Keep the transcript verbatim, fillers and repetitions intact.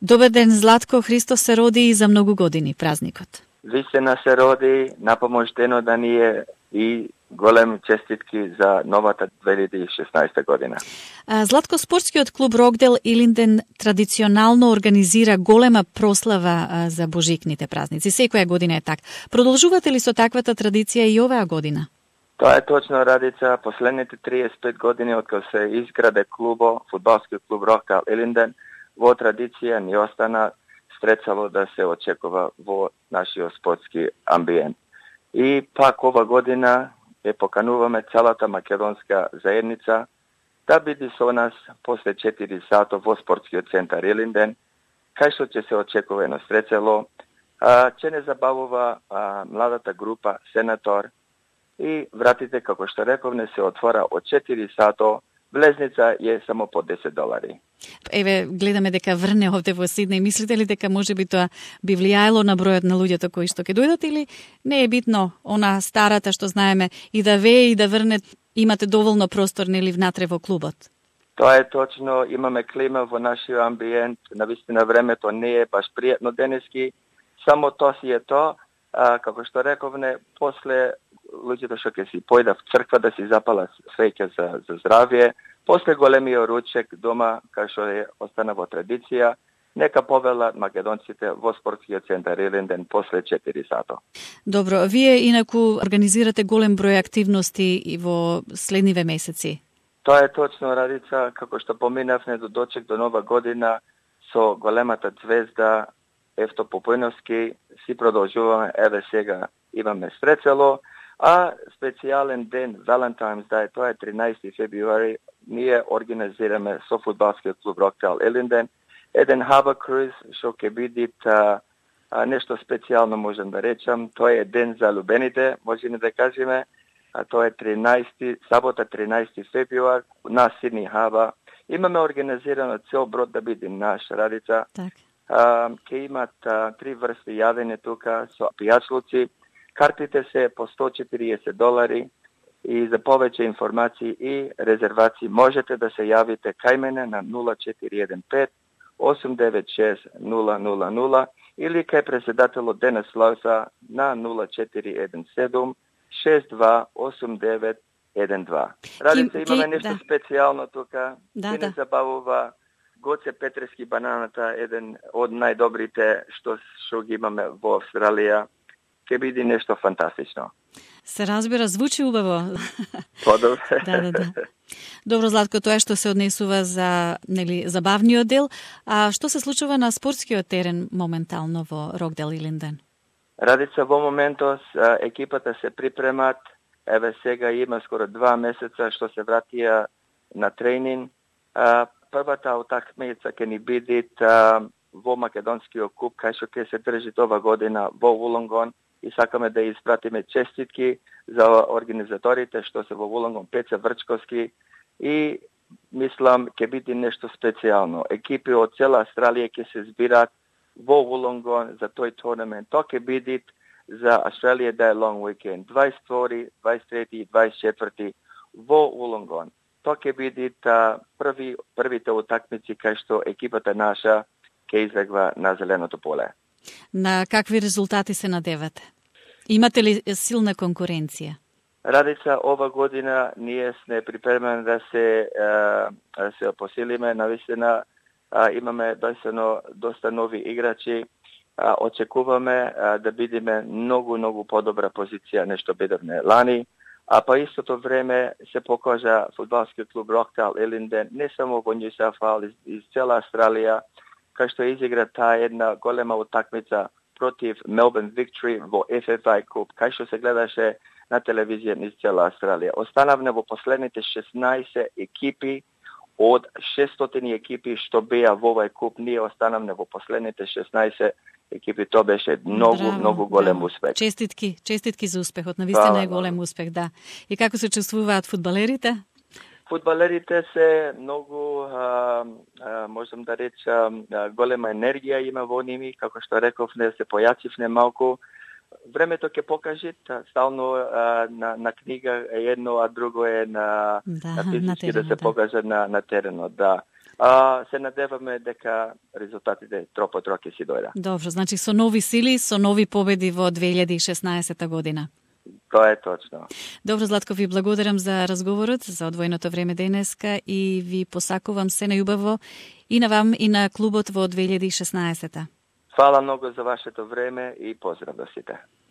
Добар ден, Златко. Христос се роди и за многу години празникот. Вистина се роди, напомождено да ни е и голем честитки за новата две илјади и шеснаесета година. Златко, спортскиот клуб Рокдел Илинден традиционално организира голема прослава за божикните празници. Секоја година е так. Продолжувате ли со таквата традиција и оваа година? Тоа е точно, Радица. Последните триесет и пет години од кога се изграде клубо, фудбалскиот клуб Рокдел Илинден, во традиција ни остана стрецало да се очекува во нашиот спортски амбиент. И пак ова година е покануваме целата македонска заедница да биде со нас после четири сата во спортскиот центар Илинден, кај што ќе се очекува едно стрецало, а, ќе не забавува а, младата група Сенатор и вратите, како што реков, не се отвора од четири сата, влезница е само по десет долари. Еве, гледаме дека врне овде во Сиднеј. Мислите ли дека може би тоа би влијаело на бројот на луѓето кои што ќе дојдат, или не е битно она старата што знаеме и да вее и да врне, имате доволно простор нели внатре во клубот? Тоа е точно, имаме клима во нашиот амбиент, навистина времето не е баш пријатно денески, само тоа си е тоа, а, како што рековне, после луѓето што ќе си појда в црква да си запала свеќа за, за здравје, после големиот ручек дома, кај што е остана во традиција, нека повелат македонците во спортскиот центар Илинден после четири сата. Добро, вие инаку организирате голем број активности и во следниве месеци. Тоа е точно, Радица, како што поминавме до дочек до нова година со големата звезда Евто Попојновски, си продолжуваме, еве сега имаме стрецало, а специјален ден, Valentine's Day, тоа е тринаесети февруари, ние организираме со фудбалскиот клуб Рокдел Илинден еден Harbor Cruise, што ќе биде а, а, нешто специјално, можем да речам. Тоа е ден за любените, можеме да кажеме, а тоа е тринаесети, сабота тринаесети февруар на Сидни Harbor. Имаме организирано цел брод да биде наш, Радица. Так. А, ке имат а, три врсти јадење тука со пијачлуци. Картите се по сто и четириесет долари и за повеќе информации и резервации можете да се јавите кај мене на нула четири еден пет осум девет шест нула нула нула или кај председателот Денес Лауса на нула четири еден седум шест два осум девет еден два. Радица, имаме нешто да. специјално тука. Да, и не да. забавува Гоце Петрески бананата, еден од најдобрите што што ги имаме во Австралија. Ке биде нешто фантастично. Се разбира, звучи убаво. Подобре. да, да, да. Добро, Златко, тоа што се однесува за нели забавниот дел, а што се случува на спортскиот терен моментално во Рокдел Илинден? Радица, во моментос екипата се припремат. Еве сега има скоро два месеца што се вратија на тренинг. Првата утакмица ќе ни биде во македонскиот куп, кај што ќе се држи ова година во Вулонгон. И сакаме да испратиме честитки за организаторите што се во Вулонгон, Пеце Врчковски, и мислам ќе биде нешто специјално. Екипи од цела Австралија ќе се збират во Вулонгон за тој турнамент. Тоа ќе биде за Australia Day Long Weekend, дваесет и втори, дваесет и трети и дваесет и четврти во Вулонгон. Тоа ќе биде први првите утакмици кај што екипата наша ќе избегва на зеленото поле. На какви резултати се надевате? Имате ли силна конкуренција? Радица, ова година ние сме припремени да се да се посилиме. Навистина имаме доста, доста нови играчи. Очекуваме да бидеме многу, многу подобра позиција нешто бидевме лани. А па истото време се покажа фудбалскиот клуб Рокдел Илинден не само во Нью Саут Вејлс, из цела Австралија, кај што изигра таа една голема утакмица против Melbourne Victory во Еф Еф Ай Куп, кај што се гледаше на телевизија низ цела Австралија. Останавме во последните шеснаесет екипи од шестстотини екипи што беа во овај куп. Ние останавме во последните шеснаесет екипи. Тоа беше многу, Браво, многу голем браво. успех. Честитки, честитки за успехот. Навистина е голем успех, да. И како се чувствуваат фудбалерите? Фудбалерите се многу, а, а, можам да речам, голема енергија има во ними, како што реков, не се појачивне малку. Времето ќе покаже, стално а, на, на книга е едно, а друго е на, да, на физички на теренот, да се да. покаже на, на теренот, да. а, се надеваме дека резултатите троп по троп ќе си дојдат. Добро, значи со нови сили, со нови победи во две илјади и шеснаесетта година. Тоа е точно. Добро, Златко, ви благодарам за разговорот, за одвоеното време денеска и ви посакувам се најубаво и на вам и на клубот во две илјади и шеснаесетта. Фала многу за вашето време и поздрав до сите.